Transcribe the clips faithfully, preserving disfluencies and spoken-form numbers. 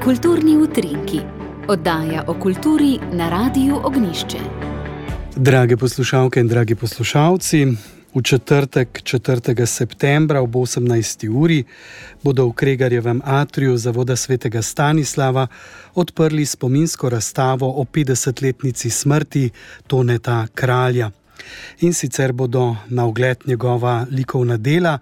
Kulturni utrinki. Oddaja o kulturi na Radiu Ognjišče. Drage poslušalke in dragi poslušalci, v četrtek, četrtega septembra ob osemnajsti uri bodo v Kregarjevem atriju Zavoda svetega Stanislava odprli spominsko razstavo o petdesetletnici smrti Toneta Kralja. In sicer bodo na ogled njegova likovna dela,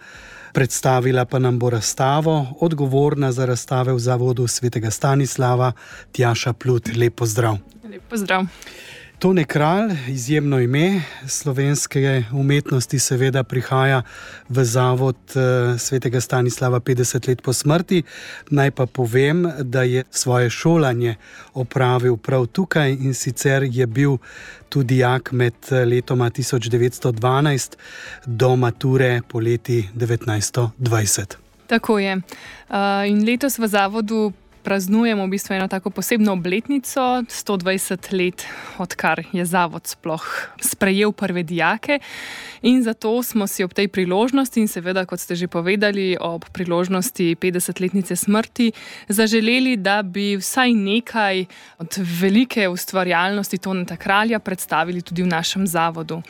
predstavila pa nam bo razstavo odgovorna za razstave v Zavodu svetega Stanislava Tjaša Plut. Lep pozdrav. Lep pozdrav. Tone Kralj, izjemno ime slovenske umetnosti, seveda prihaja v Zavod svetega Stanislava petdeset let po smrti. Naj pa povem, da je svoje šolanje opravil prav tukaj, in sicer je bil tudi dijak med letoma tisoč devetsto dvanajst do mature poleti devetnajststo dvajset. Tako je. In letos v Zavodu praznujemo v bistvu eno tako posebno obletnico, sto dvajset let, odkar je Zavod sploh sprejel prve dijake. In zato smo si ob tej priložnosti in seveda, kot ste že povedali, ob priložnosti petdesetletnice smrti zaželeli, da bi vsaj nekaj od velike ustvarjalnosti Toneta Kralja predstavili tudi v našem zavodu.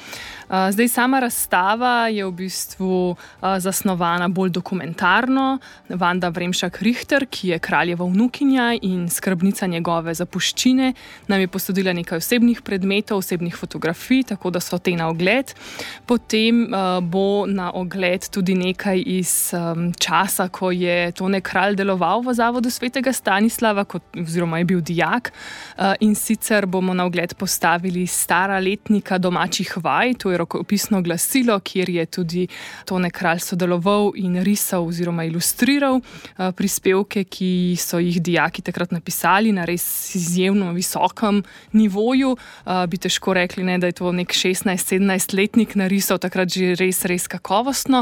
Zdaj, sama razstava je v bistvu zasnovana bolj dokumentarno. Vanda Vremšak-Richter, ki je kraljeva vnukinja in skrbnica njegove zapuščine, nam je posodila nekaj osebnih predmetov, osebnih fotografij, tako da so te na ogled. Potem uh, bo na ogled tudi nekaj iz um, časa, ko je Tone Kralj deloval v Zavodu svetega Stanislava, kot, oziroma je bil dijak. Uh, in sicer bomo na ogled postavili stara letnika domačih vaj, to je rokopisno glasilo, kjer je tudi Tone Kralj sodeloval in risal oziroma ilustriral uh, prispevke, ki so jih dijaki takrat napisali na res izjemno visokem nivoju. Uh, bi težko rekli, ne, da je to nek šestnajst-sedemnajst letnik narisal, takrat že res, res kakovostno.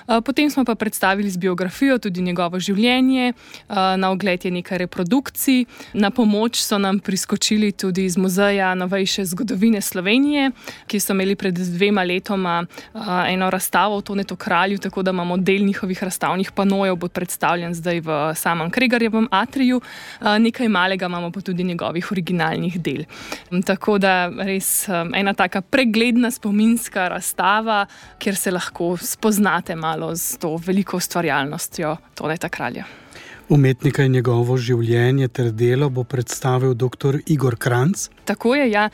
Uh, potem smo pa predstavili z biografijo tudi njegovo življenje. Uh, na ogled je nekaj reprodukcij. Na pomoč so nam priskočili tudi iz Muzeja novejše zgodovine Slovenije, ki so imeli pred dvema letoma uh, eno razstavo o Tonetu Kralju, tako da imamo del njihovih razstavnih panojev, bo predstavljen zdaj v samem Kregarjevem atriju. Uh, nekaj malega imamo pa tudi njegovih originalnih del. Um, tako da res um, ena taka pregledna spominska razstava, kjer se lahko spoznate malo z to veliko ustvarjalnostjo Toneta Kralja. Umetnika in njegovo življenje ter delo bo predstavil doktor Igor Kranjc. Tako je, ja.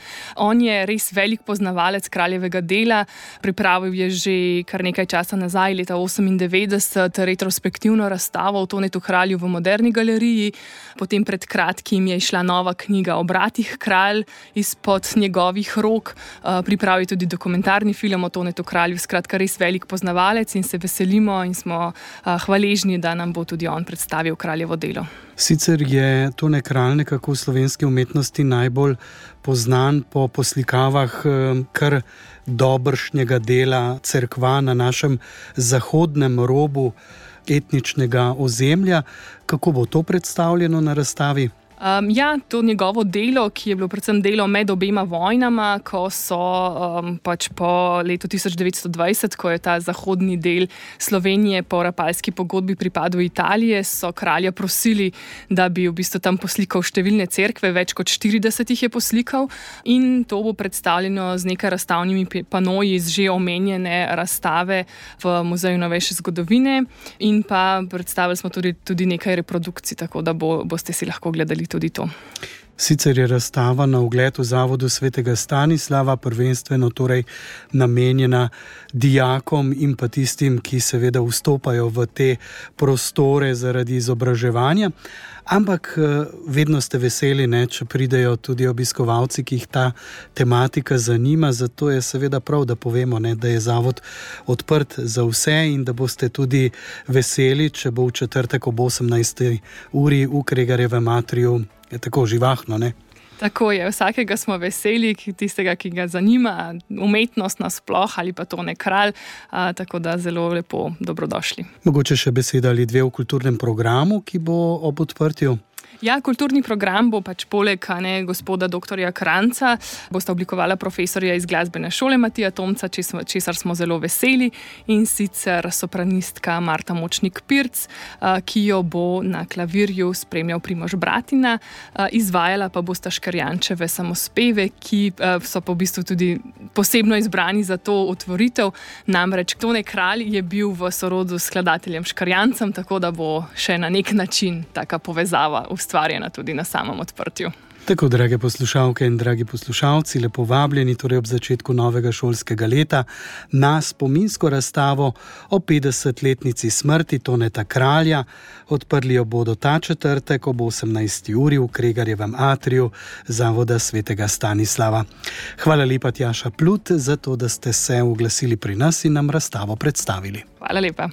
On je res velik poznavalec kraljevega dela. Pripravil je že kar nekaj časa nazaj, leta osemindevetdeset, retrospektivno razstavo o Tonetu Kralju v Moderni galeriji. Potem pred kratkim je išla nova knjiga o bratih Kralj izpod njegovih rok. Pripravil tudi dokumentarni film o Tonetu Kralju. Skratka, res velik poznavalec in se veselimo in smo hvaležni, da nam bo tudi on predstavil kraljevo delo. Sicer je Tone Kralj nekako v slovenski umetnosti najbolj poznan po poslikavah kar dobršnjega dela cerkva na našem zahodnem robu etničnega ozemlja. Kako bo to predstavljeno na razstavi? Um, ja, to njegovo delo, ki je bilo predvsem delo med obema vojnama, ko so um, pač po letu tisoč devetsto dvajset, ko je ta zahodni del Slovenije po Rapalski pogodbi pripadal Italije, so kralja prosili, da bi v bistvu tam poslikal številne cerkve, več kot štirideset jih je poslikal, in to bo predstavljeno z nekaj razstavnimi panoji iz že omenjene razstave v Muzeju novejše zgodovine, in pa predstavili smo tudi, tudi nekaj reprodukcij, tako da bo, boste si lahko gledali tudi to. Sicer je razstava na ogled v Zavodu svetega Stanislava prvenstveno torej namenjena dijakom in pa tistim, ki seveda vstopajo v te prostore zaradi izobraževanja, ampak vedno ste veseli, ne, če pridejo tudi obiskovalci, ki jih ta tematika zanima, zato je seveda prav, da povemo, ne, da je zavod odprt za vse in da boste tudi veseli, če bo v četrtek ob osemnajsti uri v Kregarjevem atriju je tako živahno, ne? Tako je, vsakega smo veseli, tistega, ki ga zanima umetnost nasploh ali pa Tone Kralj, a, tako da zelo lepo dobrodošli. Mogoče še beseda ali dve v kulturnem programu, ki bo ob odprtju? Ja, kulturni program bo pač poleg ne, gospoda doktorja Kranca, bosta oblikovala profesorja iz glasbene šole Matija Tomca, česar smo zelo veseli, in sicer sopranistka Marta Močnik-Pirc, ki jo bo na klavirju spremljal Primož Bratina, izvajala pa bosta Škarjančeve samospeve, ki so pa v bistvu tudi posebno izbrani za to otvoritev. Namreč Tone Kralj je bil v sorodu s skladateljem Škarjancem, tako da bo še na nek način taka povezava ustvarjena tudi na samem odprtju. Tako, drage poslušalke in dragi poslušalci, lepo vabljeni torej ob začetku novega šolskega leta na spominsko razstavo o petdesetletnici smrti Toneta Kralja. Odprli jo bodo ta četrtek ob osemnajsti uri v Kregarjevem atriju Zavoda svetega Stanislava. Hvala lepa, Tjaša Plut, za to, da ste se oglasili pri nas in nam razstavo predstavili. Hvala lepa.